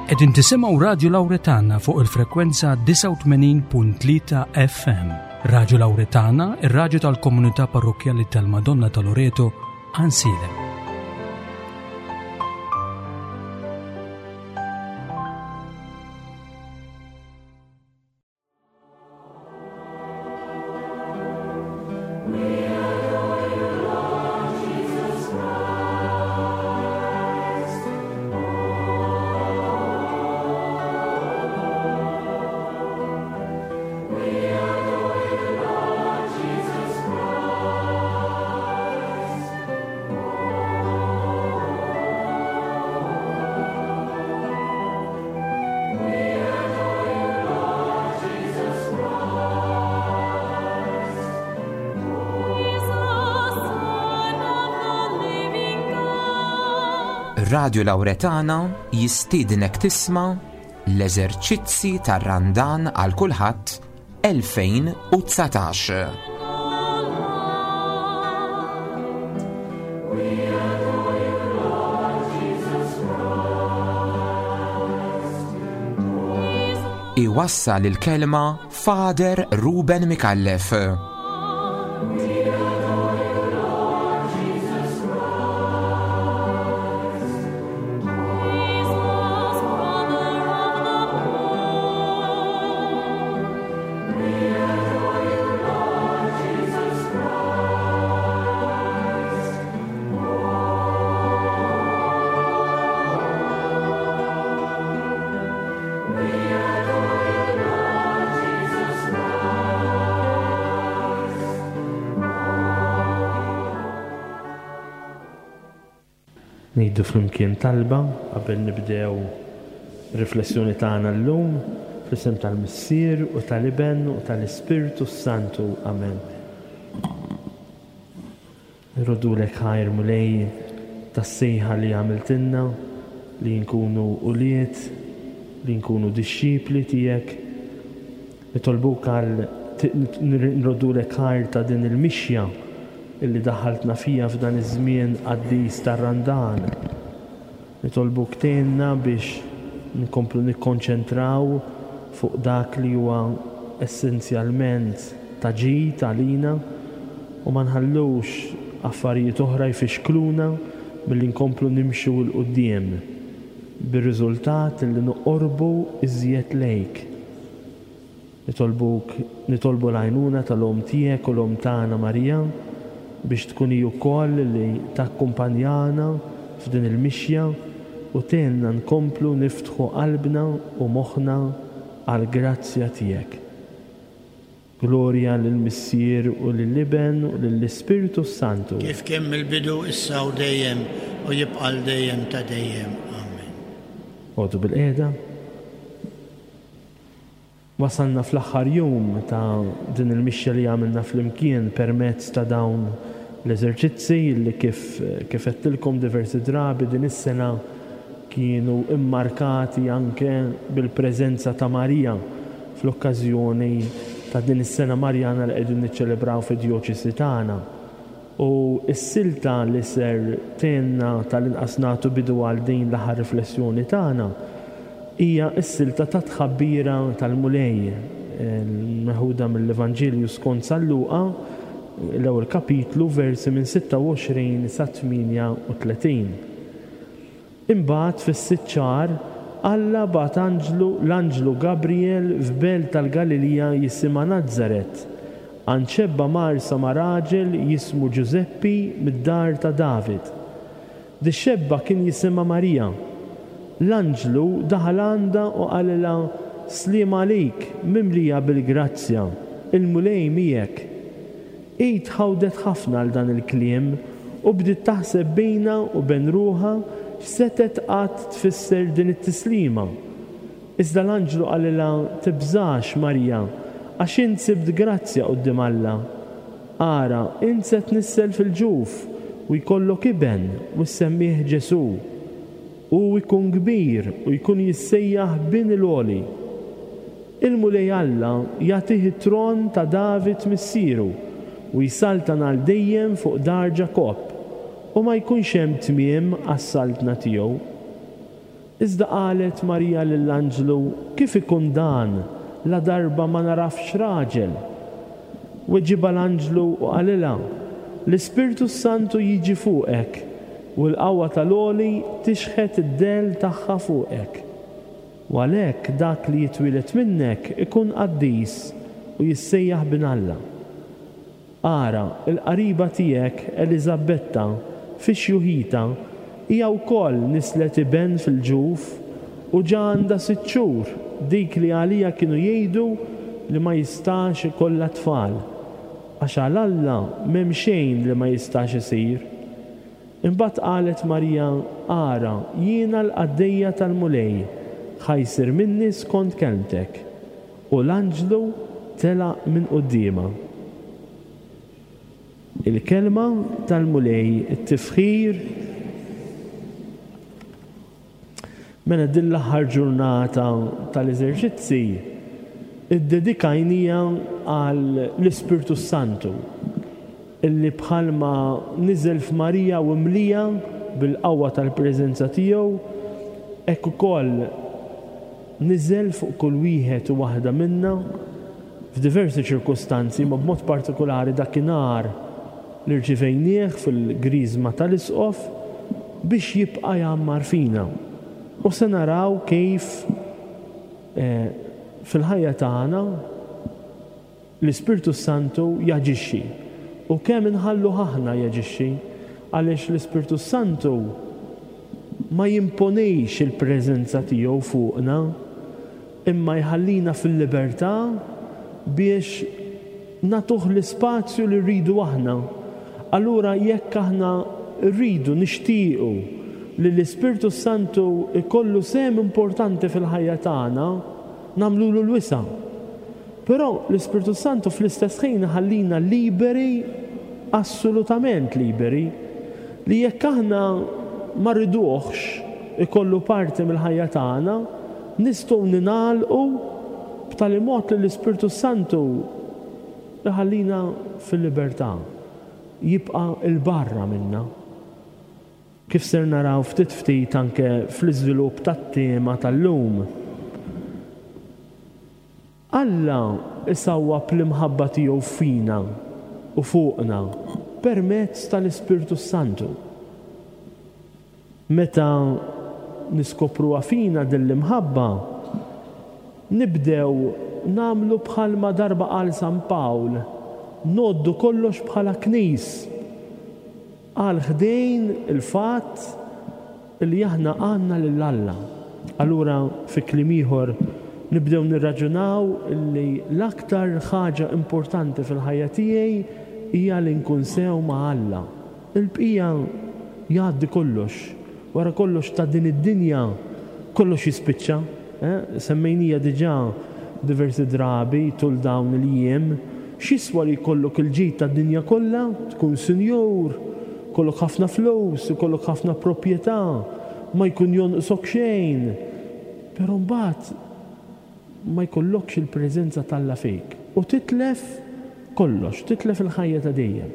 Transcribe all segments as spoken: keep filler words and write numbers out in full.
Qegħdin tisimgħu Radio Lauretana fuq il-frekwenza disgħa u tmenin punt tlieta F M. Radio Lauretana, ir-radju tal-Komunità Parrokkjali tal-Madonna ta' Loreto, Għajnsielem. Radio Lauretana jistiednek tisma' l-eżerċizzi tar-Randan għal kulħadd elfejn u dsatax. Iwassal il-kelma Father Ruben Micallef. Ngħidu flimkien talba qabel nibdew riflessjoni tagħna llum, fl-isem tal-Missier u tal-Iben u tal-Ispirtu Santu. Amen. Nroddulek ħajr, Mulej, tas-sejħa li għamiltilna li nkunu ulied, li nkunu dixxipli tiegħek. Nitolbuk għal nroddulek ħajr ta' din il-mixja illi daħaltna fija f'dan iż-żmien qaddis tar-Randan. Nitolbuk tgħinna biex nkomplu nikkonċentraw fuq dak li huwa essenzjalment ta' ġid għalina u ma nħallux affarijiet oħra jfixkluna milli nkomplu nimxu 'l quddiem bir-riżultat li noqorbu iżjed lejk. Nitolbuk, nitolbu l-għajnuna tal-Omm tiegħek u l-Omm tagħna Marija biex tkun hi wkoll li takkumpanjana f'din il-mixja u tgħinna nkomplu niftħu qalbna u moħħna għall-grazzja tiegħek. Glorja lill-Missier u lill-Iben u lill-Ispirtu Santu. Kif kien mill-bidu, issa u dejjem, u jibqa' dejjem ta' dejjem. Amen. Oqogħdu bilqiegħda. Wasalna fl-aħħar jum ta' din il-mixja li għamilna flimkien permezz ta' dawn l-eżerċizzi li kif kif għedtilkom diversi drabi din is-sena kienu immarkati anke bil-preżenza ta' Marija fl-okkażjoni ta' din is-sena Marjana li qegħdin niċċelebraw fid-djoċesi tagħna. U s-silta li ser tgħinna tal-inqas nagħtu bidu għal din l-aħħar riflessjoni tagħna hija s-silta ta' tħabbira tal-Mulej meħuda mill-Evanġelju skont San Luqa, l-ewwel kapitlu, versi minn sitta u għoxrin sa tmienja u tletin. Imbagħad fis-sitt xahar Alla bagħat anġlu, l-anġlu Gabriel, f'belt tal-Galilija jisimha Nazzaret, għand xebba mgħarsa ma' raġel jismu Ġużeppi mid-dar ta' David. Dix-xebba kien jisimha Marija. L-anġlu daħal għandha u qalilha: "Sliem għalik, mimlija bil-grazzja, il-Mulej miegħek." Hi tħawdet ħafna għal dan il-kliem u bdiet taħseb bejnha u bejn ruħha x'setgħet qatt tfisser din it-tislima. Iżda l-anġlu qalilha: "Tibżax, Marija, għax int sibt grazzja quddiem Alla. Ara, int se tnissel fil-ġuf u jkollok iben u ssemmih Ġesu. U jkun kbir u jkun jissejjaħ Bin il-Għoli. Il-Mulej Alla jagħtih it-tron ta' David missieru u jsaltan għal dejjem fuq dar Ġakobb u ma jkunx hemm tmiem għas-saltna tiegħu." Iżda qalet Marija lill-anġlu, Kif ikun dan, ladarba ma nagħrafx raġel? Weġibha l-anġlu u qalilha, L-Ispirtu s-Santu jiġi fuqek, u l-qawwa tal-Għoli tixħet id-dell tagħha fuqek. U għalhekk dak li jitwieled minnek ikun qaddis u jissejjaħ Bin Alla. Ara, il-qariba tiegħek Eliżabetta fi xjuħitha hija wkoll nislet iben fil-ġuf u ġa għandha sitt xhur, dik li għaliha kienu jgħidu li ma jistax ikollha tfal, għax għal Alla m'hemm xejn li ma jistax isir. Imbagħad qalet Marija, Ara, jiena l-qaddejja tal-Mulej, ħa jsir minni skont kelmtek. U l-anġlu telaq minn quddiemha. Il-kelma tal-Mulej, it-tifħir. Mela din l-aħħar ġurnata tal-eżerċizzi iddedikajnija għal l-Ispirtu Santu, illi bħalma niżel f'Marija u mlija bil-qawwa tal-preżenza tiegħu, hekk ukoll niżel fuq kull wieħed u waħda minna f'diversi ċirkustanzi, ma b'mod partikolari dakinhar li rċivejnieh fil-griżma tal-Isqof biex jibqa' jgħammar fina. U se naraw kif eh, fil-ħajja tagħna l-Ispirtu Santu jaġixxi u kemm inħallu aħna jaġixxi, għaliex l-Ispirtu Santu ma jimponix il-preżenza tiegħu fuqna, imma jħallina fil-libertà biex nagħtuh l-ispazju li rridu aħna. Allura jekk aħna rridu nixtiequ li l-Ispirtu Santu ikollu sehem importanti fil-ħajja tagħna, nagħmlulu l-wisa'. Però l-Ispirtu Santu fl-istess ħin ħallina liberi, assolutament liberi, li jekk aħna ma rriduhx ikollu parti mill-ħajja tagħna, nistgħu ningħalqu b'tali mod li l-Ispirtu Santu iħallina fil-libertà, jibqa' 'l barra minna. Kif ser naraw ftit ftit anke fl-iżvilupp tat-tema tal-lum. Alla isawwab l-imħabba tiegħu fina u fuqna permezz tal-Ispirtu Santu. Meta niskopruha fina din l-imħabba, nibdew nagħmlu bħalma darba qal San Pawl, ngħoddu kollox bħala knis, għal ħdejn il-fatt li aħna għandna lil Alla. Allura fi kliem ieħor nibdew nirraġunaw li l-aktar ħaġa importanti fil-ħajja tiegħi hija li nkun sew ma' Alla. Il-bqija jgħaddi kollox. Wara kollox ta' din id-dinja kollox jispiċċa. Eh? Semmejnija diġà diversi drabi tul dawn il-jiem. X'jiswa li jkollok il-ġid tad-dinja kollha, tkun sinjur, kollok ħafna flus, ikollok ħafna proprjetà, ma jkun jonqsok xejn. Però mbagħad ma jkollokx il-preżenza t'Alla fik u titlef kollox, titlef il-ħajja ta' dejjem.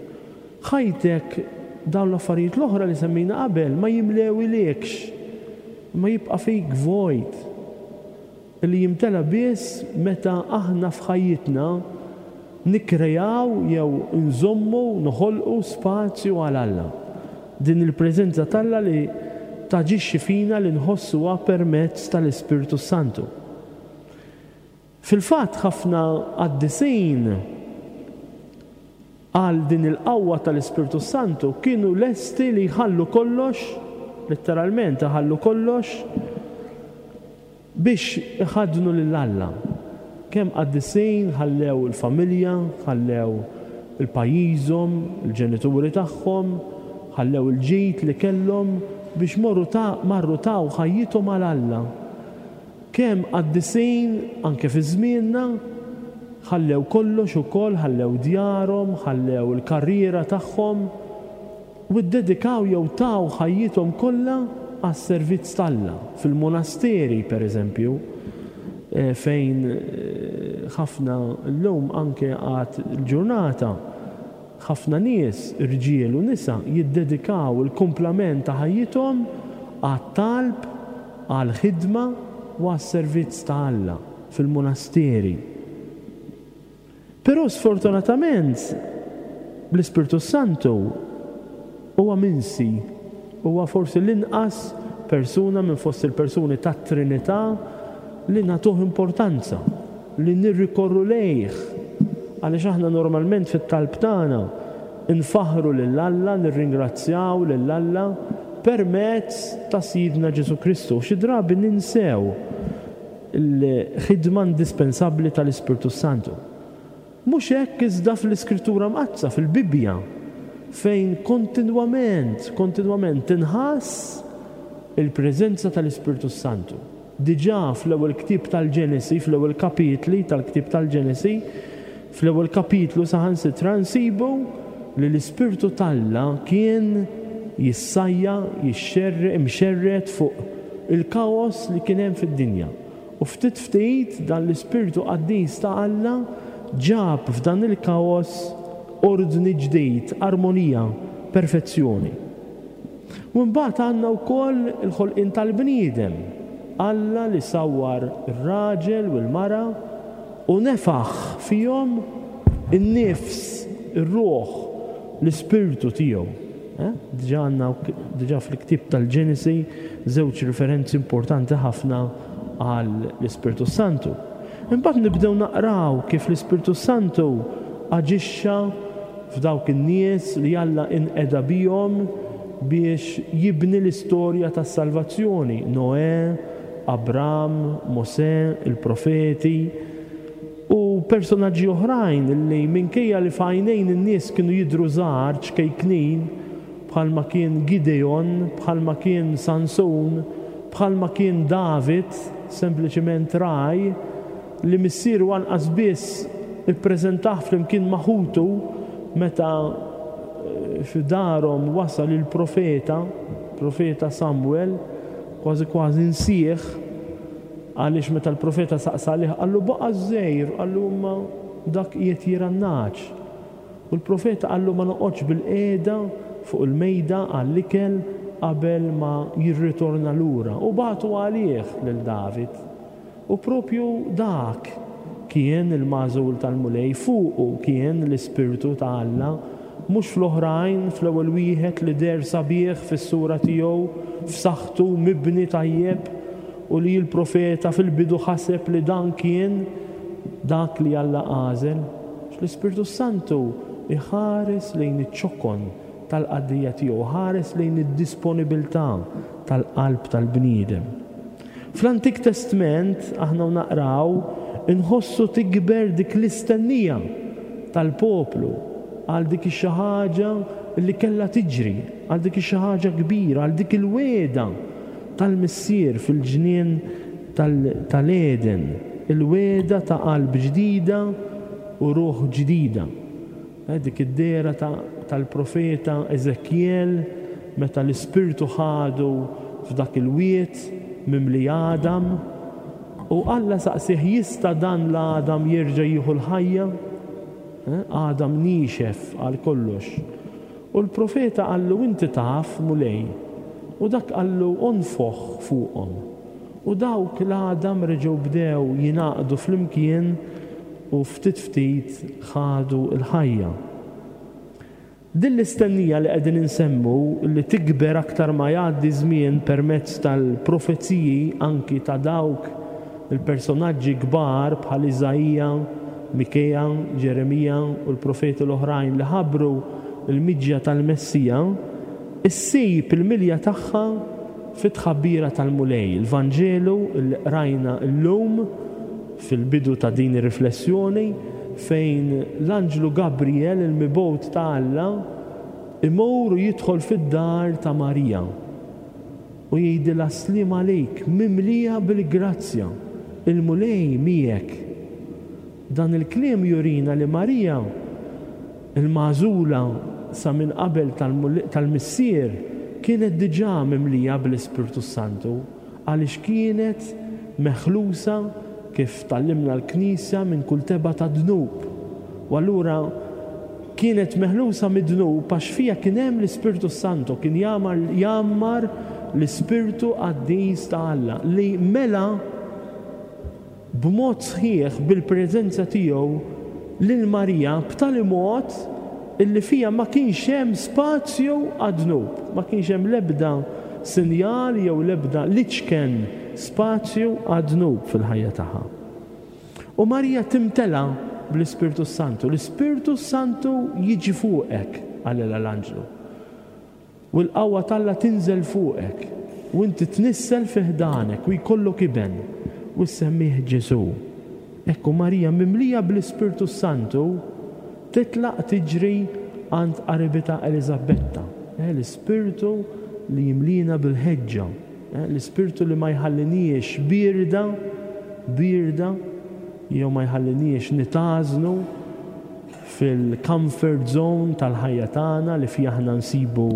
Ħajtek dawn l-affarijiet l-oħra li semmejna qabel ma jimlewilekx, ma jibqa' fik vojt li jimtela biss meta aħna f'ħajjitna nikkrejaw jew nżommu, noħolqu spazju għal Alla. Din il-preżenza t'Alla li taġixxi fina li nħossuha permezz tal-Ispirtu Santu. Fil-fatt ħafna qaddisin għal din il-qawwa tal-Ispirtu Santu kienu lesti li jħallu kollox, letteralment iħallu kollox, biex iħaddnu lil Alla. Kemm qaddisin ħallew il-familja, ħallew il-pajjiżhom, il-ġenituri tagħhom, ħallew il-ġid li kellhom biex morru ta' marru taw ħajjithom għal Alla. Kemm qaddisin anke fi żmienna ħallew kollox ukoll, ħallew djarhom, ħallew il-karriera tagħhom u ddedikaw jew taw ħajjithom kollha għas-servizz t'Alla. Fil-monasteri, per eżempju, eh, fejn eh, ħafna llum anke għad il-ġurnata, ħafna nies, irġiel u nisa, jiddedikaw il-kumplament ta' ħajjithom għat-talb għall-ħidma u għas-servizz ta' Alla fil-monasteri. Però sfortunatament l-Ispirtu Santu huwa minsi, huwa forsi l-inqas persuna minn fost il-persuni tat-Trinità li nagħtuh importanza, li nirrikorru lejh, għaliex aħna normalment fit-talb tagħna nfaħħru lil Alla, nirringrazzjaw lil Alla permezz ta' Sidna Ġesù Kristu. Xi drabi ninsew il-ħidma indispensabbli tal-Ispirtu Santu. Mhux hekk iżda fl-Iskrittura Mqaddsa, fil-Bibbja, fejn kontinwament, kontinwament tinħass il-preżenza tal-Ispirtu Santu. Diġà fl-ewwel ktieb tal-Ġenesi, fl-ewwel kapitli tal-ktieb tal-Ġenesi, fl-ewwel kapitlu saħansitra nsibu li l-Ispirtu t'Alla kien jissajja, jixxerre, imxerred fuq il-kaos li kien hemm fid-dinja. U ftit ftit dan l-Ispirtu Qaddis ta' Alla ġab f'dan il-kaos ordni ġdid, armonija, perfezzjoni. U mbagħad għandna wkoll il-ħolqien tal-bniedem. Alla li sawwar ir-raġel u l-mara u nefaħ fihom in-nifs, ir-ruħ, l-ispirtu tiegħu. Eh? Diġà għandna diġà fil-ktieb tal-Ġenesi żewġ referenzi importanti ħafna għal l-Ispirtu Santu. Imbagħad nibdew naqraw kif l-Ispirtu Santu aġixxa f'dawk in-nies li Alla inqeda bihom biex jibni l-istorja tas-salvazzjoni. Noè, Abram, Mosè, il-profeti u personaġġi oħrajn li minkejja li f'għajnejn in-nies kienu jidhru żgħar, ċkejknin, bħalma kien Gideon, bħalma kien Sansun, bħalma kien David, sempliċiment raj, li missieru anqas biss ippreżentah flimkien ma' ħutu meta f'darhom wasal il-profeta, profeta Samuel, kważi kważi nsieħ, għaliex meta l-profeta saqsa għalih qallu baqa' żgħir, qallu imma dak qiegħed jirgħa n-nagħaġ. U l-profeta qallu ma noqgħodx bil-qiegħda fuq il-mejda għall-ikel qabel ma jirritorna lura. U bagħtu għalih lil David. U propju dak kien il-magħżul tal-Mulej, fuqu kien l-Ispirtu ta' Alla, mhux fl-oħrajn, fl-ewwel wieħed li deher sabiħ fis-sura tiegħu, f'saħħtu mibni tajjeb, u li l-profeta fil-bidu ħaseb li dan kien dak li Alla għażel. L-Ispirtu Santu iħares lejn iċ-ċokon tal-qaddejja tiegħu, ħares lejn id-disponibilità tal-qalb tal-bniedem. Fl-Antik Testament aħna naqraw inħossu tikber dik l-istennija tal-poplu għal dik xi ħaġa li kellha tiġri, għal dik xi ħaġa kbira, għal dik il-wegħda tal-Missier fil-ġnien tal-Eden, il-wegħda ta' qalb ġdida u ruħ ġdida. Dik id-dehra tal-profeta Ezekiel meta l-Ispirtu ħadu f'dak il-wied mimli Adam u Alla saqsih jista' dan l-Adam jerġa' jieħu l-ħajja? Adam nixef għal kollox. U l-profeta qallu inti taf Mulej. U dak qallu onfoħ fuqhom. U dawk l-Adam reġgħu bdew jingħaqdu flimkien u ftit ftit ħadu l-ħajja. Din l-istennija li qegħdin insemmu li tikber aktar ma jgħaddi żmien permezz tal-profeziji anki ta' dawk il-personaġġi kbar bħal Iżaija, Mikea, Ġeremija u l-profeti l-oħrajn li ħabbru l-miġja tal-Messija, issib il-milja tagħha fit-tħabbira tal-Mulej, il-Vanġelu li qrajna llum fil-bidu ta' din ir-riflessjoni fejn l-anġlu Gabriel, il-mibgħut ta' Alla, imur u jidħol fid-dar ta' Marija u jgħidilha slim għalik, mimlija bil-grazzja, il-Mulej miegħek. Dan il-kliem jurina li Marija, il-magħżula sa minn qabel tal-Missier, kienet diġà mimlija bl-Ispirtu Santu, għaliex kienet meħlusa kif tallimna l-Knisja minn kull tebgħa ta' dnub. U allura kienet meħlusa mid-dnub għax fija kien hemm l-Ispirtu Santu, kien jgħammar l-Ispirtu Qaddis ta' Alla li mela b'mod sħiħ bil-preżenza tiegħu lil Marija b'tali mod illi fija ma kienx hemm spazju għad-dnub, ma kienx hemm l-ebda sinjal jew l-ebda l-iċken spazju għad-dnub fil-ħajja tagħha. U Marija timtela bl-Ispirtu Santu. L-Ispirtu Santu jiġi fuqek, qalilha l-anġlu. U l-qawwa t'Alla tinżel fuqek u inti tnissel fi ħdanek u jkollok iben u ssemmih Ġesù. Ekku Marija mimlija bl-Ispirtu Santu titlaq tiġri għand qaribitha Eliżabetta. Eh, l-Ispirtu li jimlina bil-ħeġġa, eh, l-Ispirtu li ma jħalliniex birda, birda, jew ma jħalliniex nitażnu fil-comfort zone tal-ħajja tagħna li fiha aħna nsibu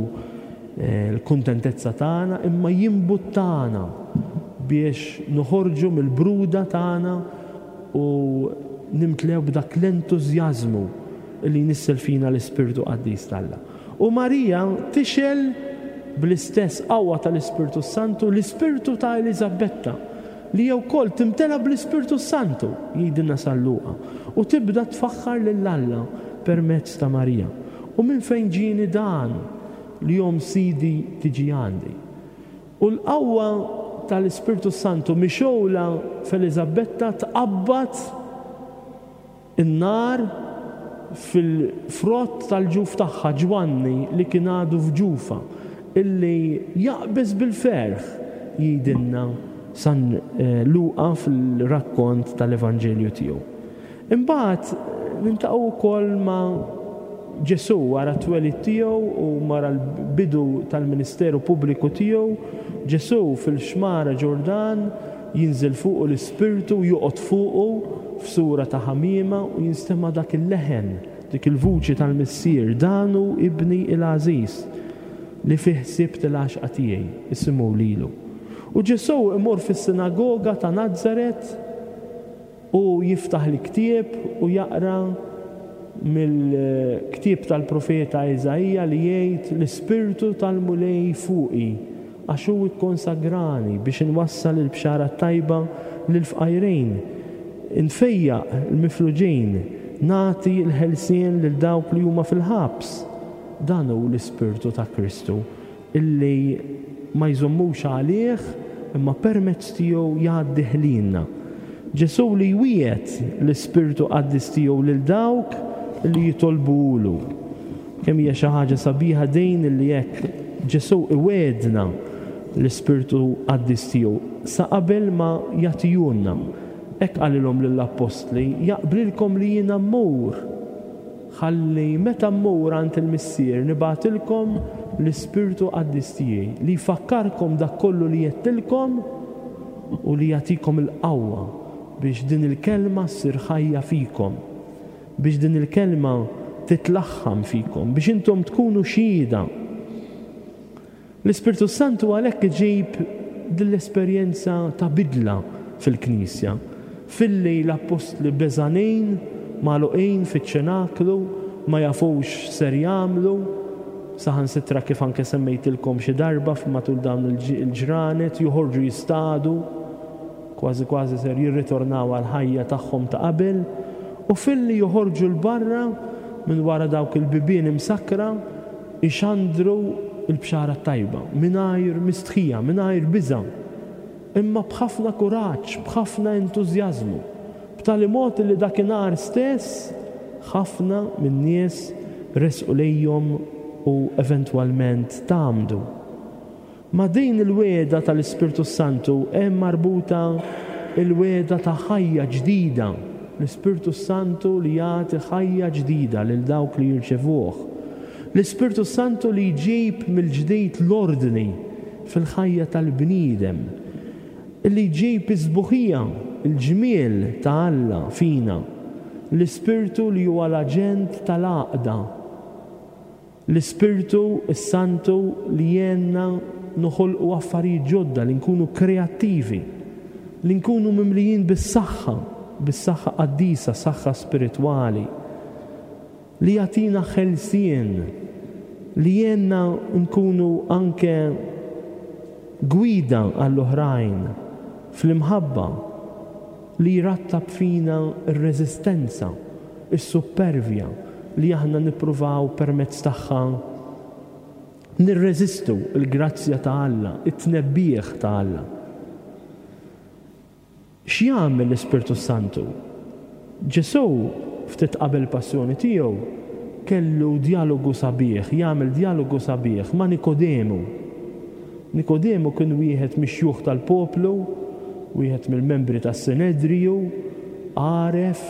eh, l-kuntentezza tagħna, imma jimbuttana biex noħorġu mill-bruda tagħna u nimtlew b'dak l-entużjażmu li jnissel fina l-Ispirtu Qaddis t'Alla. U Marija tixgħel bl-istess qawwa tal-Ispirtu Santu l-Ispirtu ta' Eliżabetta li jew wkoll timtela bl-Ispirtu Santu, jgħidilna San Luqa, u tibda tfaħħar lil Alla permezz ta' Marija. U minn fejn ġieni dan li omm Sidi tiġi għandi? U l-qawwa tal-Ispirtu Santu mixgħula f'Eliżabetta tqabbad in-nar fil-frott tal-ġuf tagħha Ġwanni li kien għadu f'ġufa, illi jaqbeż bil-ferħ, jgħidilna San Luqa fil-rakkont tal-Evanġelju tiegħu. Imbagħad niltaqgħu wkoll ma' Ġesù wara t-twelid tiegħu u wara l-bidu tal-ministeru pubbliku tiegħu. Ġesù fil-xmara Ġordan jinżel fuqu l-Ispirtu, joqgħod fuqu f'sura ta' ħamiema u jinstema' dak il-leħen, dik il-vuċi tal-Missier, dan hu ibni il-għażiż li fih sibt il-għaxqa tiegħi, isimgħu lilu. U Ġesù imur fis-sinagoga ta' Nazaret u jiftaħ l-ktieb u jaqra mill-ktieb tal-profeta Iżaija li jgħid l-Ispirtu tal-Mulej fuqi għax hu kkonsagrani biex inwassal il-bxara tajba lill-fqajrin, infejjaq il-mifluġin, nagħti l-ħelsien lil dawk li huma fil-ħabs. Dan hu l-Ispirtu ta' Kristu illi ma jżommux għalih imma permezz tiegħu jgħaddih lilna. Ġesù li jwiegħed l-Ispirtu Qaddis tiegħu lil dawk li jitolbulu. Kemm hija xi ħaġa sabiħa din illi hekk Ġesù iwegħedna l-Ispirtu Qaddis tiegħu sa qabel ma jagħtihulna. Hekk qalilhom lill-appostli, jaqblilkom li jiena mmur, ħalli meta mmur għand il-Missier nibgħatilkom l-Ispirtu Qaddis tiegħi li jfakkarkom dak kollu li għedtilkom u li jagħtikom il-qawwa biex din il-kelma ssir ħajja fikom, biex din il-kelma titlaħħam fikom, biex intom tkunu xhieda. L-Ispirtu Santu għalhekk iġib din l-esperjenza ta' bidla fil-Knisja, filli l-appostli beżanin magħluqin fiċ-ċenaklu, ma jafux ser jagħmlu, saħansitra kif anke semmejtilkom xi darba matul dawn il-ġranet joħorġu jistadu, kważi kważi ser jirritornaw għal ħajja tagħhom ta' qabel, u filli joħorġu l-barra minn wara dawk il-bibien imsakra ixandru il-bxara tajba, mingħajr mistħija, mingħajr biża', imma b'ħafna kuraġġ, b'ħafna entużjażmu, b'tali mod li dakinhar stess ħafna min-nies resqu lejhom u eventwalment tgħammdu. Ma' din il-wegħda tal-Ispirtu Santu hemm marbuta il-wegħda ta' ħajja ġdida, l-Ispirtu Santu li jagħti ħajja ġdida lil dawk li jirċevuh. L-Ispirtu Santu li jġib mill-ġdid l-ordni fil-ħajja tal-bniedem, li jġib is-sbuħija, il-ġmiel ta' Alla fina. L-Ispirtu li huwa l-aġent tal-għaqda. L-Ispirtu s-Santu li jgħinna noħolqu affarijiet ġodda, li nkunu kreattivi, li nkunu mimlijin bis-saħħa, bis-saħħa qaddisa, saħħa spiritwali, li jagħtina ħelsien, li jgħinna nkunu anke gwida għall-oħrajn fl-imħabba li jrattab fina r-reżistenza, is-suppervja li aħna nippruvaw permezz tagħha nirreżistu l-grazzja ta' Alla, it-tnebbiħ ta' Alla. X'jagħmel l-Ispirtu Santu? Ġesù ftit qabel passjoni tiegħu kellu djalogu sabiħ, jagħmel djalogu sabiħ ma' Nikodemu. Nikodemu kien wieħed mix-xjuħ tal-poplu, wieħed mill-membri tas-Sinedriju, għaref,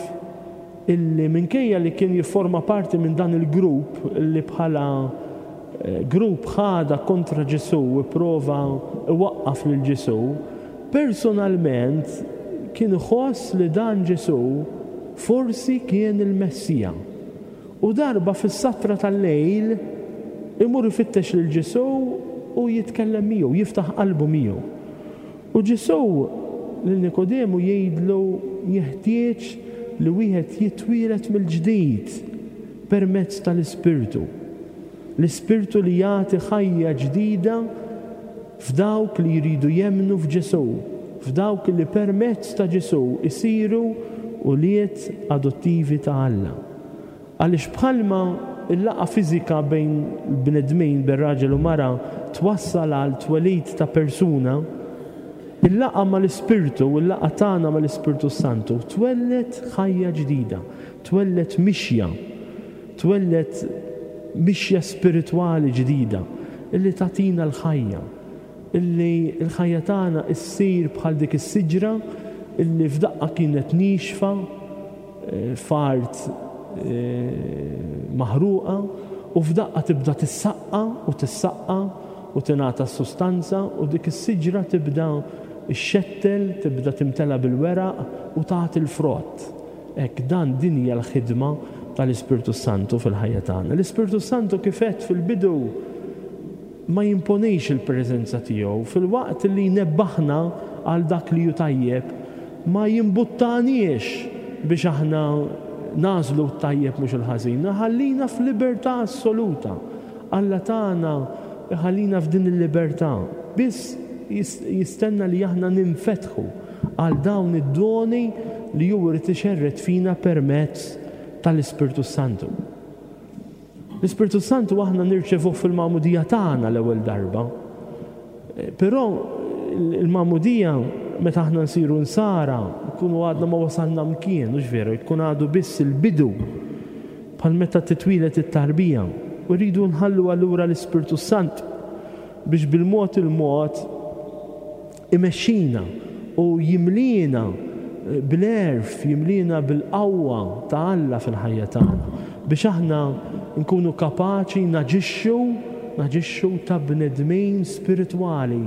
illi minkejja li kien jifforma parti minn dan il-grupp li bħala grupp ħada kontra Ġesù u prova iwaqqaf lil Ġesù, personalment kien iħoss li dan Ġesù forsi kien il-Messija. U darba fis-satra tal-lejl imur ifittex lil Ġesù u jitkellem miegħu, jiftaħ qalbu miegħu. U Ġesù lil Nikodemu jgħidlu jeħtieġ li wieħed jitwieled mill-ġdid permezz tal-Ispirtu. L-Ispirtu li jagħti ħajja ġdida f'dawk li jridu jemmnu f'Ġesù, f'dawk li permezz ta' Ġesù isiru ulied adottivi ta' Alla. Għaliex bħalma il-laqgħa fiżika bejn bnedmin, bejn raġel u mara, twassal għal twelid ta' persuna, il-laqgħa mal-Ispirtu, il-laqgħa tagħna mal-Ispirtu Santu twelled ħajja ġdida, twelled mixja, twelled mixja spiritwali ġdida illi tagħtina l-ħajja, illi l-ħajja tagħna issir bħal dik is-siġra illi f'daqqa kienet nixfa f'art maħruqa u f'daqqa tibda tissaqqa u tissaqqa u tingħata s-sustanza u dik is-siġra tibda xxettel, tibda timtela bil-weraq u tagħti l-frott. Hekk dan din hija l-ħidma tal-Ispirtu Santu fil-ħajja tagħna. L-Ispirtu Santu kif għedt fil-bidu ma jimponix il-preżenza tiegħu, fil-waqt li jnebbaħna għal dak li hu tajjeb, ma jimbuttanix biex aħna nażlu t-tajjeb mhux il-ħażin, ħallina f'libertà assoluta. Alla tagħna ħallina f'din il-libertà. Biss jistenna li aħna ninfetħu għal dawn id-doni li hu jrid ixerred fina permezz tal-Ispirtu Santu. L-Ispirtu Santu aħna nirċevuh fil-magħmudija tagħna l-ewwel darba. Però il-magħmudija meta aħna nsiru nsara, nkunu għadna ma wasalna mkien, mhux veru, jkun għadu biss il-bidu bħal meta titwieled it-tarbija. U rridu nħallu allura l-Ispirtu Sant biex bil-mod il-mod imexxina u jimlina bl-għerf, jimlina bil-qawwa ta' Alla fil-ħajja tagħna biex aħna nkunu kapaċi naġixxu, naġixxu ta' bnedmin spiritwali,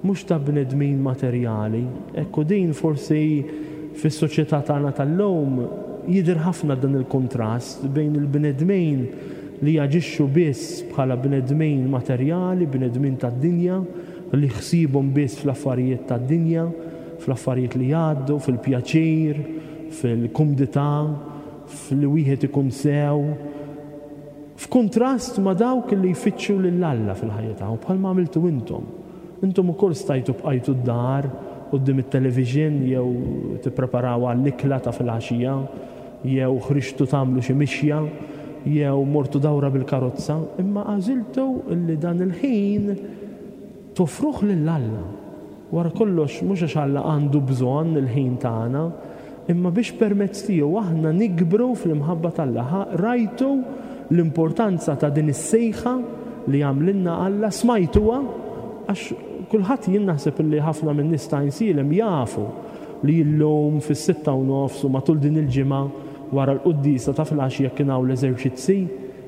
mhux ta' bnedmin materjali. Ekku din forsi fis-soċjetà tagħna tal-lum jidher ħafna dan il-kontrast bejn il-bnedmin li jaġixxu biss bħala bnedmin materjali, bnedmin tad-dinja, li ħsibhom biss fl-affarijiet tad-dinja, fl-affarijiet li jgħaddu, fil-pjaċir, fil-kumdità, fil wieħed ikun sew, f'kuntrast ma' dawk li jfittxu lil Alla fil-ħajja tagħhom, bħalma għamiltu intom. Intom ukoll stajtu bqajtu d-dar quddiem it-television jew tippreparaw għall-ikla ta' filgħaxija, jew ħriġtu tagħmlu xi mixja, jew mortu dawra bil-karozza, imma għażiltu li dan il-ħin toffruh lil Alla. Wara kollox mhux għax Alla għandu bżonn il-ħin tagħna, imma biex permezz tiegħu aħna nikbru fl-imħabba t'Alla. Rajtu l-importanza ta' din is-sejħa li għamlilna Alla, smajtuha, għax kulħadd jien naħseb li ħafna minn nies ta' Għajnsielem jafu li llum fis-sitta u nofs u matul din il-ġimgħa wara l-quddiesa ta' filgħaxija kien hawn l-eżerċizzi.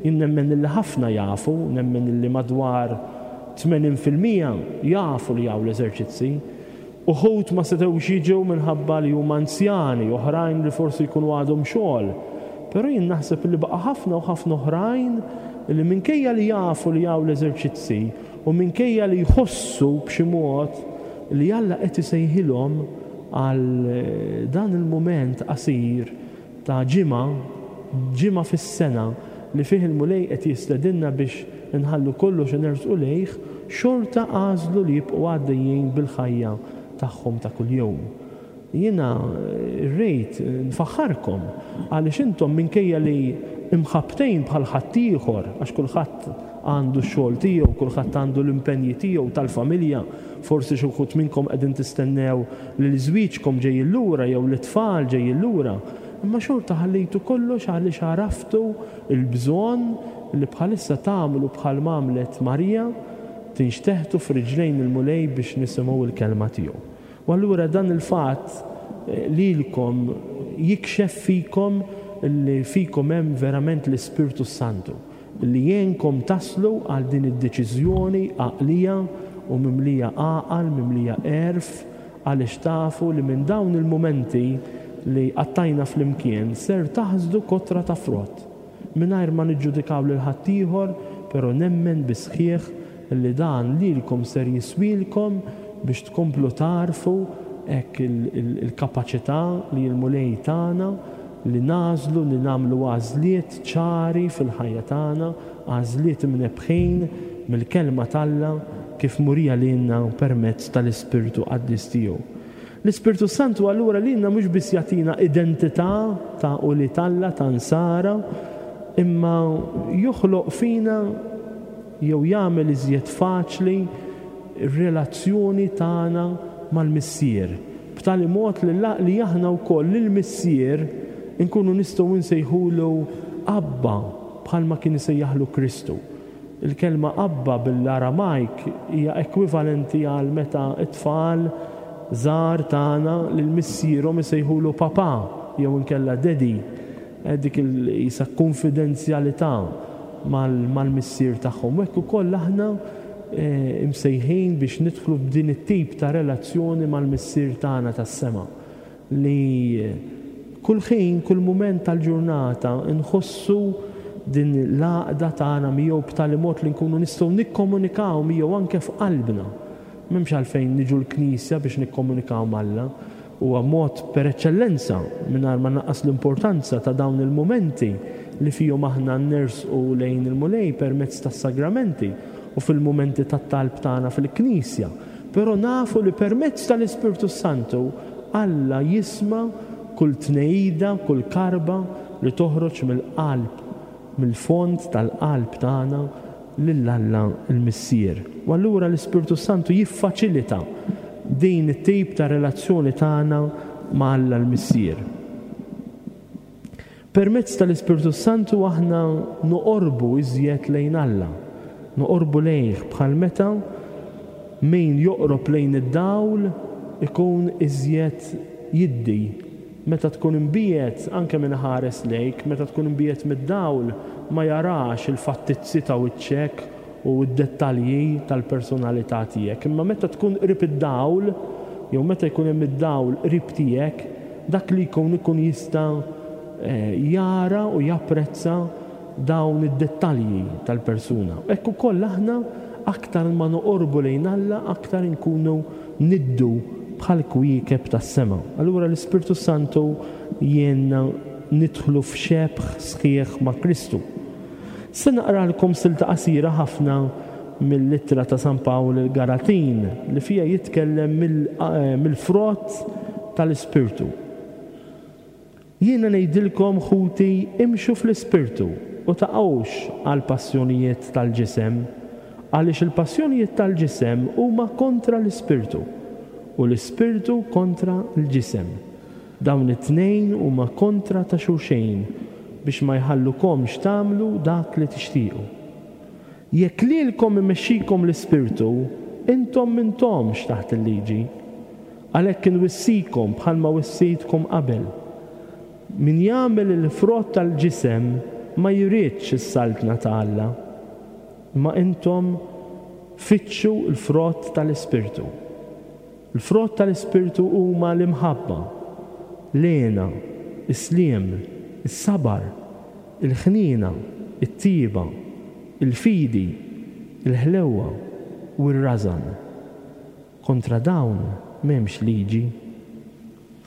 Jien nemmen li ħafna jafu, nemmen li madwar tmenin fil-mija jafu li hawn l-eżerċizzi. Uħud ma setgħux jiġu minħabba li huma anzjani, oħrajn li forsi jkunu għadhom xogħol. Però jien naħseb li baqa' ħafna u ħafna oħrajn li minkejja li jafu li hawn l-eżerċizzi u minkejja li jħossu b'xi mod li Alla qed isejħilhom għal dan il-mument qasir ta' ġimgħa, ġimgħa fis-sena li fih il-Mulej qed jistedinna biex inħallu kollox u nersqu lejh, xorta għażlu li jibqgħu għaddejjin bil-ħajja tagħhom ta' kuljum. Jiena rrid nfaħħarkom għaliex intom minkejja li imħabtejn bħal ħaddieħor, għax kulħadd għandu x-xogħol tiegħu, kulħadd għandu l-impenji tiegħu tal-familja, forsi xi wħud minnkom qegħdin tistennew li l-żwieġkom ġejjin lura jew l-itfal ġejjin lura, imma xorta ħallejtu kollox għaliex għaraftu l-bżonn li bħalissa tagħmlu bħal m'għamlet Marija, tinxteħtu f'riġlejn il-Mulej biex nisimgħu l-kelma tiegħu. U allura dan il-fatt lilkom jikxef fikom li fikom hemm verament l-Ispirtu Santu li jgħinkom taslu għal din id-deċiżjoni għaqlija u mimlija għaqal, mimlija għerf, għaliex tafu li minn dawn il-mumenti li qattajna flimkien ser taħsdu kotra ta' frott. Mingħajr ma niġġudikaw lil ħaddieħor, però nemmen bisħieħ li dan lilkom ser jiswilkom biex tkomplu tarfu hekk il-kapaċità li l-Mulej tagħna li nażlu li nagħmlu għażliet ċari fil-ħajja tagħna, għażliet imnebħin mill-kelma t'Alla kif murija lilna permezz tal-Ispirtu Qaddis tiegħu. L-Ispirtu Santu allura lilna mhux biss jagħtina identità ta' ulied Alla, ta' nsara, imma joħloq fina jew jagħmel iżjed faċli r-relazzjoni tagħna mal-Missier, b'tali mod li la-, li aħna wkoll lill-Missier inkunu nistgħu nsejħulu Abba bħalma kien isejjaħlu Kristu. Il-kelma Abba bil-Aramajk hija ekwivalenti għal meta t-tfal żgħar tagħna lil missierhom isejħulu papà jew inkella daddy. Eh, dik il-isa konfidenzjalità mal-, mal-missier tagħhom. U hekk ukoll aħna, eh, imsejħin biex nidħlu b'din it-tip ta' relazzjoni mal-missier tagħna tas-sema li kull ħin, kull mument tal-ġurnata nħossu din l-għaqda tagħna miegħu b'tali mod li nkunu nistgħu nikkomunikaw miegħu anke f'qalbna. M'hemmx għalfejn niġu l-Knisja biex nikkomunikaw m'Alla. Huwa mod per eċċellenza mingħajr ma naqqas l-importanza ta' dawn il-mumenti li fihom aħna nersqu lejn il-Mulej permezz tas-sagramenti u fil-mumenti tat-talb tagħna fil-Knisja. Però nafu li permezz tal-Ispirtu Santu Alla jisma' kull tnejda, kull karba li toħroġ mill-qalb, mill-fond tal-qalb tagħna lil Alla l-Missier. U allura l-Ispirtu Santu jiffaċilita din it-tip ta' relazzjoni tagħna ma' Alla l-Missier. Permezz tal-Ispirtu Santu aħna noqorbu iżjed lejn Alla, noqorbu lejh bħal meta min joqrob lejn id-dawl ikun iżjed jiddi. Meta tkun imbiegħed, anke min ħares lejk, meta tkun imbiegħed mid-dawl ma jarax il-fattizzi ta' wiċċek u d-dettalji tal-personalità tiegħek. Imma meta tkun qrib id-dawl, jew meta jkun hemm id-dawl qrib tiegħek, dak li jkun ikun jista', eh, jara u japprezza dawn id-dettalji tal-persuna. Hekk ukoll aħna aktar ma noqorbu lejn Alla, aktar inkunu niddu bħal kwiekeb tas-sema. Allura l-Ispirtu Santu jgħinna nidħlu f'xebh sħiħ ma' Kristu. Se naqralkom silta qasira ħafna mill-ittra ta' San Pawl il-Galatin li fija jitkellem mill-, eh, mill-frott tal-Ispirtu. Jiena ngħidilkom ħuti, imxu fl-Ispirtu u taqgħux għal passjonijiet tal-ġisem, għaliex il-passjonijiet tal-ġisem huma kontra l-Ispirtu u l-Ispirtu kontra l-ġisem. Dawn it-tnejn huma kontra ta' xulxejn biex ma jħallukomx tagħmlu dak li tixtiequ. Jekk lilkom imexxikom l-Ispirtu, intom m'intomx taħt il-liġi. Għalhekk inwissikom bħalma wissejtkom qabel. Min jagħmel il-frott tal-ġisem ma jridx is-saltna ta' Alla. Ma intom fittxu l-frott tal-Ispirtu. Il-frott tal-Ispirtu huma l-imħabba, l-hena, is-sliem, is-sabar, il-ħniena, it-tiba, il-fidi, il-ħlewwa u r-rażan. Kontra dawn m'hemmx liġi.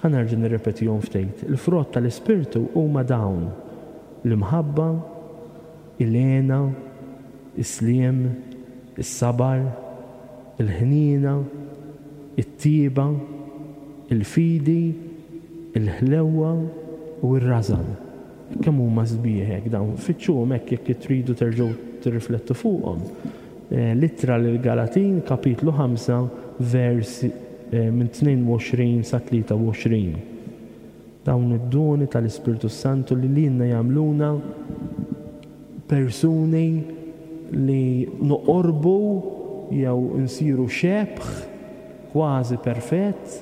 Ħa nerġa' nirrepetihom ftit. Il-frott tal-Ispirtu huma dawn: l-imħabba, il-hena, is-sliem, is-sabar, il-ħniena, it-tieba, il-fidi, il-ħlewwa u r-rażan. Kemm huma sbieħ hekk dawn, fittxuhom hekk jekk tridu terġgħu tirriflettu fuqhom. L-ittra lill-Galatin, kapitlu ħamsa, vers minn tnejn u għoxrin sa tlieta u għoxrin. Dawn id-doni tal-Ispirtu Santu li lilna jagħmluna persuni li noqorbu jew nsiru xebh kważi perfett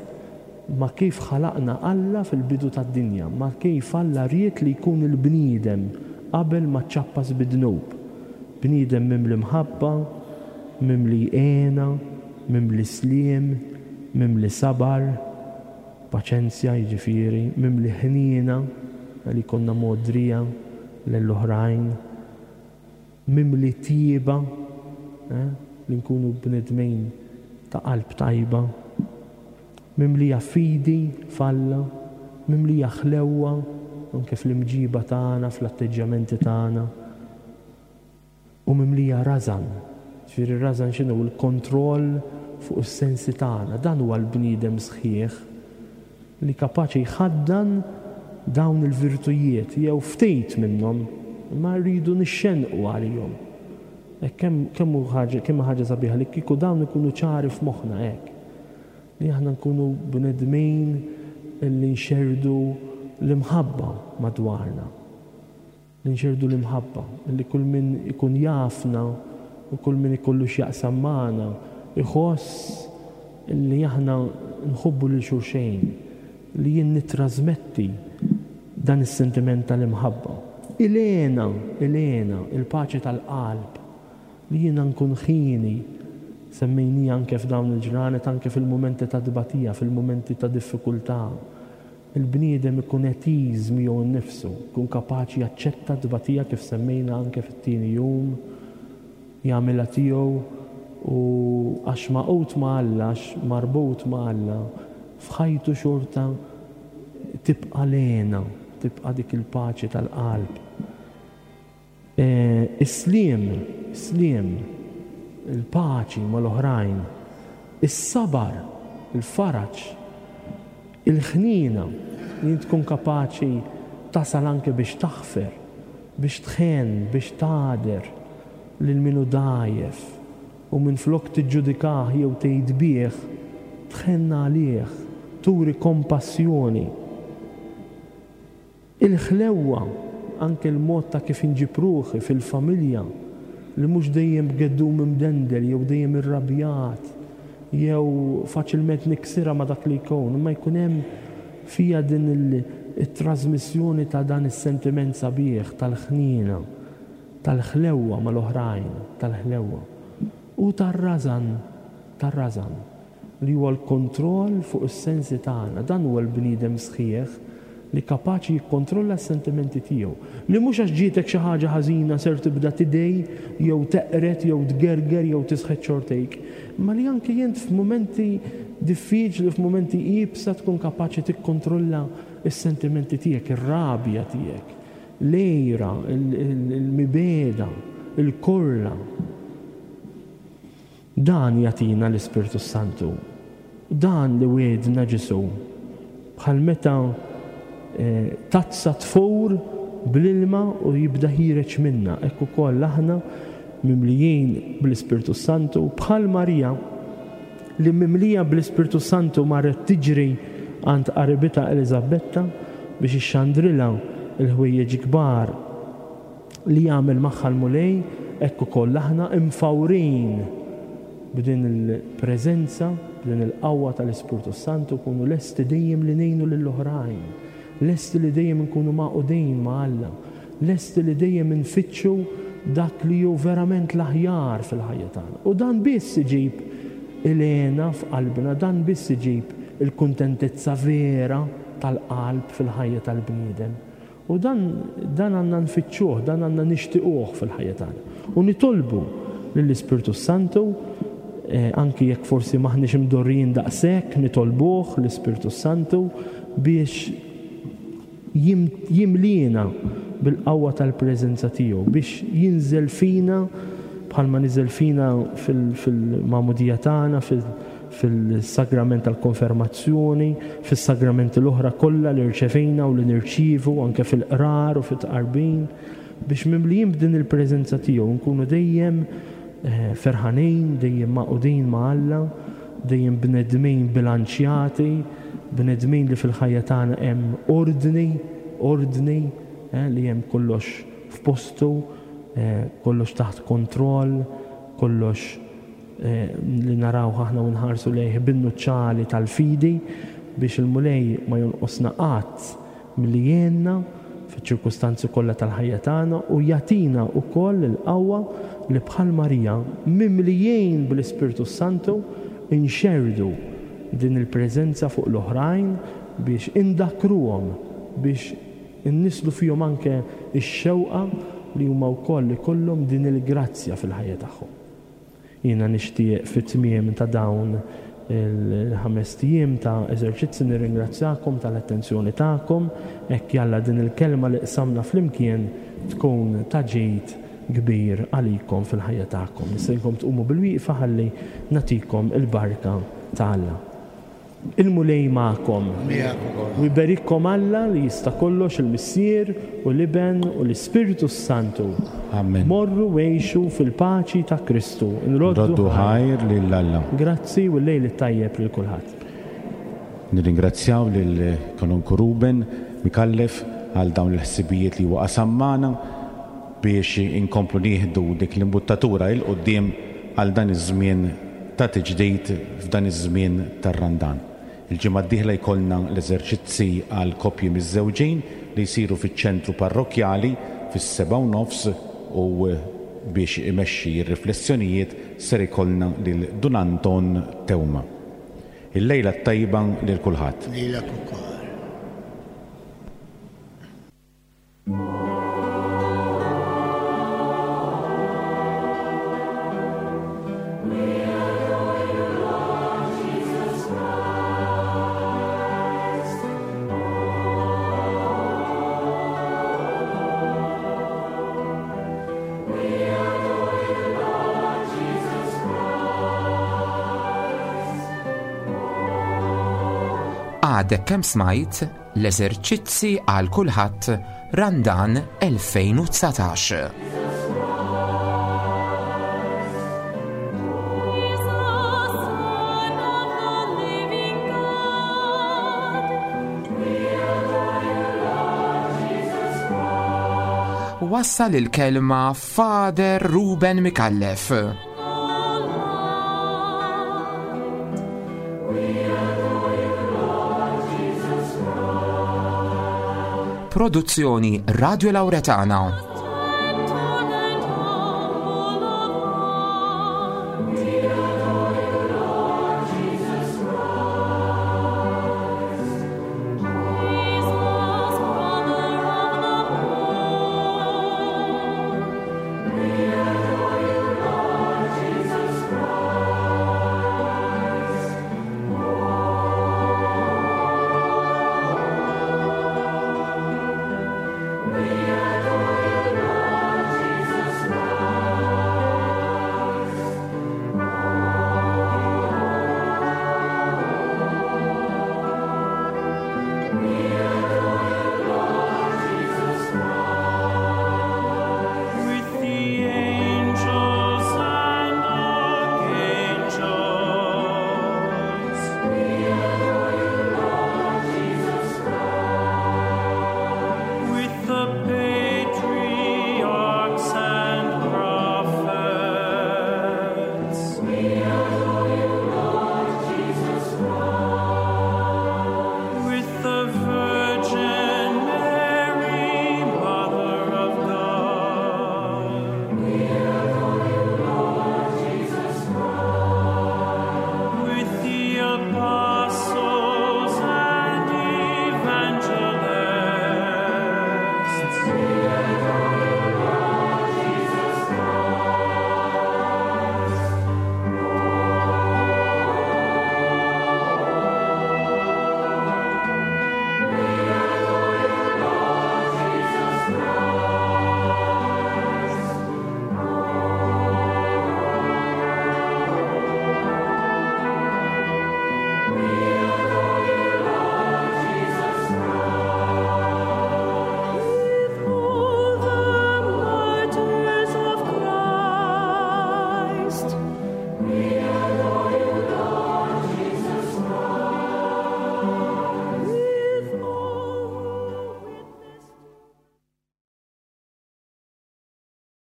ma' kif ħalaqna Alla fil-bidu tad-dinja, ma' kif Alla ried li jkun il-bniedem qabel ma ċċappas bid-dnub. Bniedem mimli mħabba, mimli għena, mimli sliem, mimli sabar, paċenzja jiġifieri, mimli ħniena li konna modrija lill-oħrajn, mimli tieba, eh, li nkunu bnedmin ta' qalb tajba, mimlija fidi f'Alla, mimlija ħlewwa anke fl-imġiba tagħna, fl-atteġġjamenti tagħna, u mimlija rażan. Ġifieri r-rażan x'inhu? Il-kontroll fuq is-sensi tagħna. Dan huwa l-bniedem sħiħ li kapaċi jħaddan dawn il-virtujiet jew ftit minnhom, imma rridu nixxenqu għalihom. Hekk kemm, kemm hu ħaġa, kemm ħaġa sabiħa li kieku dawn ikunu ċari f'moħħna hekk. Li aħna nkunu bnedmin li nxerdu l-imħabba madwarna. Li nxerdu l-imħabba, li kull min ikun jafna u kull min ikollu x'jaqsam magħna iħoss li aħna nħobbu lil xulxejn, li jien nittrażmetti dan is-sentiment tal-imħabba. Ilena, ilena, il-paċi tal-qalb, li jiena nkun ħini, semmejni anke f'dawn il-ġranet, anke fil-mumenti ta' tbatija, fil-mumenti ta' diffikultà. Il-bniedem ikun etiż miegħu nnifsu, ikun kapaċi jaċċetta tbatija kif semmejna anke fit-tieni jum, jagħmilha tiegħu u għax maqut ma' Alla, għax marbut ma' Alla, f'ħajtu xorta tibqa' lena, tibqa' dik il-paċi tal-qalb. E, is-sliem, is-sliem, il-paċi mal-oħrajn, is-sabar, il-faraġ, il-ħnina, li tkun kapaċi tasal anke biex taħfer, biex tħen, biex tagħder lil min hu dgħajjef, u minflok tiġġudikah jew tgħid bih, tħenn għalih, turi kompassjoni. Il-ħlewwa, anke l-mod ta' kif inġib ruħi fil-familja, li mhux dejjem b'geddum imdendel jew dejjem irrabjat, jew faċilment niksirha ma' dak li jkun, imma jkun hemm fija din il-, it-trasmissjoni ta' dan is-sentiment sabiħ tal-ħniena, tal-ħlewwa mal-oħrajn, tal-ħlewwa. U tar-rażan, tar-rażan, li huwa l-kontroll fuq is-sensi tagħna. Dan huwa l-bniedem sħiħ li kapaċi jikkontrolla s-sentimenti tiegħu. Li mhux għax ġietek xi ħaġa ħażina ser tibda tidej jew teqret jew tgerger jew tisħet xortejk, imma li anke jent f'mumenti diffiċli, f'mumenti iebsa tkun kapaċi tikkontrolla s-sentimenti tiegħek, ir-rabja tiegħek, l-għira, il-, il-, il-mibeda, il-korla. Dan jagħtina l-Ispirtu Santu. Dan li wiegħdna Ġesù. Bħal meta, eh, tazza tfur bl-ilma u jibda ħireġ minna. Hekk ukoll aħna mimlijin bl-Ispirtu Santu, bħal Marija li mimlija bl-Ispirtu Santu marret tiġri għand qaribitha Eliżabetta biex ixxandrilha l-ħwejjeġ kbar li jagħmel magħha l-Mulej, hekk ukoll aħna imfawrin b'din il-preżenza, b'din il-qawwa tal-Ispirtu Santu, kunu lesti dejjem li ngħinu lill-oħrajn, lesti li dejjem nkunu magħqudin ma' Alla, lesti li dejjem nfittxu dak li hu verament l-aħjar fil-ħajja tagħna. U dan biss iġib il-hena f'qalbna, dan biss iġib il-kuntentizza vera tal-qalb fil-ħajja tal-bniedem. U dan, dan għandna nfittxuh, dan għandna nixtiequh fil-ħajja tagħna. U nitolbu lill-Ispirtu Santu, eh, anki jekk forsi maħniex imdorrijin daqshekk, nitolbuh l-Ispirtu Santu biex jim-, jimlina bil-qawwa tal-preżenza tiegħu, biex jinżel fina bħalma niżel fina fil-magħmudija tagħna, fil-sagrament tal-konfermazzjoni, fis-sagramenti l-oħra kollha li rċevejna u li nirċievu anke fil-qrar u fit-tqarbin, biex mimlijin b'din il-preżenza tiegħu nkunu dejjem ferħanin, dejjem maqudin ma' Alla, dejjem bnedmin bilanċjati, bnedmin li fil-ħajja tagħna hemm ordni, ordni li hemm kollox f'postu, kollox taħt kontroll, kollox li naraw aħna u nħarsu lejh bin-nuċċali tal-fidi, biex il-Mulej ma jonqosna qatt milli jgħinna fiċ-ċirkustanzi kollha tal-ħajja tagħna u jagħtina wkoll il-qawwa li bħal Marija mimlijin bl-Ispirtu Santu inxerdu din il-preżenza fuq l-oħrajn biex indakruhom, biex innislu fihom anke x-xewqa li huma wkoll ikollhom din il-grazzja fil-ħajja tagħhom. Jiena nixtieq fit-tmiem ta' dawn il-ħames ijiem ta' eżerċizzi nirringrazzjakom tal-attenzjoni tagħkom, hekk jalla din il-kelma li qsamna flimkien tkun ta' ġid kbir għalikom fil-ħajja tagħkom. Nistedinkom tqumu bil-wieqfa ħalli nagħtikom il-barka ta' Alla. Il-Mulej magħkom. U jberikkom Alla li jista' kollox, il-Missier u l-Iben u l-Ispirtu Santu. Amen. Morru għixu fil-paċi ta' Kristu. Nroddu ħajr lil Alla. Grazzi u l-lejl it-tajjeb lil kulħadd. Nirringrazzjaw lil Kanonku Ruben Micallef għal dawn il-ħsibijiet li huwa qasam magħna biex inkomplu nieħdu dik l-imbuttatura il quddiem għal dan iż-żmien ta' tiġdid f'dan iż-żmien tar-Randan. Il-ġimgħa d-dieħla jkollna l-eżerċizzi għal koppji miż-żewġin li jsiru fiċ-ċentru parrokkjali fis-seba' u nofs, u biex imexxi r-riflessjonijiet ser ikollna lil Dun Anton Teuma. Il-lejla t-tajba lil kulħadd. Lejlek ukoll. Għadek kemm smajt l-eżerċizzi għal kulħadd Randan elfejn u dsatax. Wassal il-kelma Father Ruben Micallef. Produzzjoni Radio Lauretana. We adore you.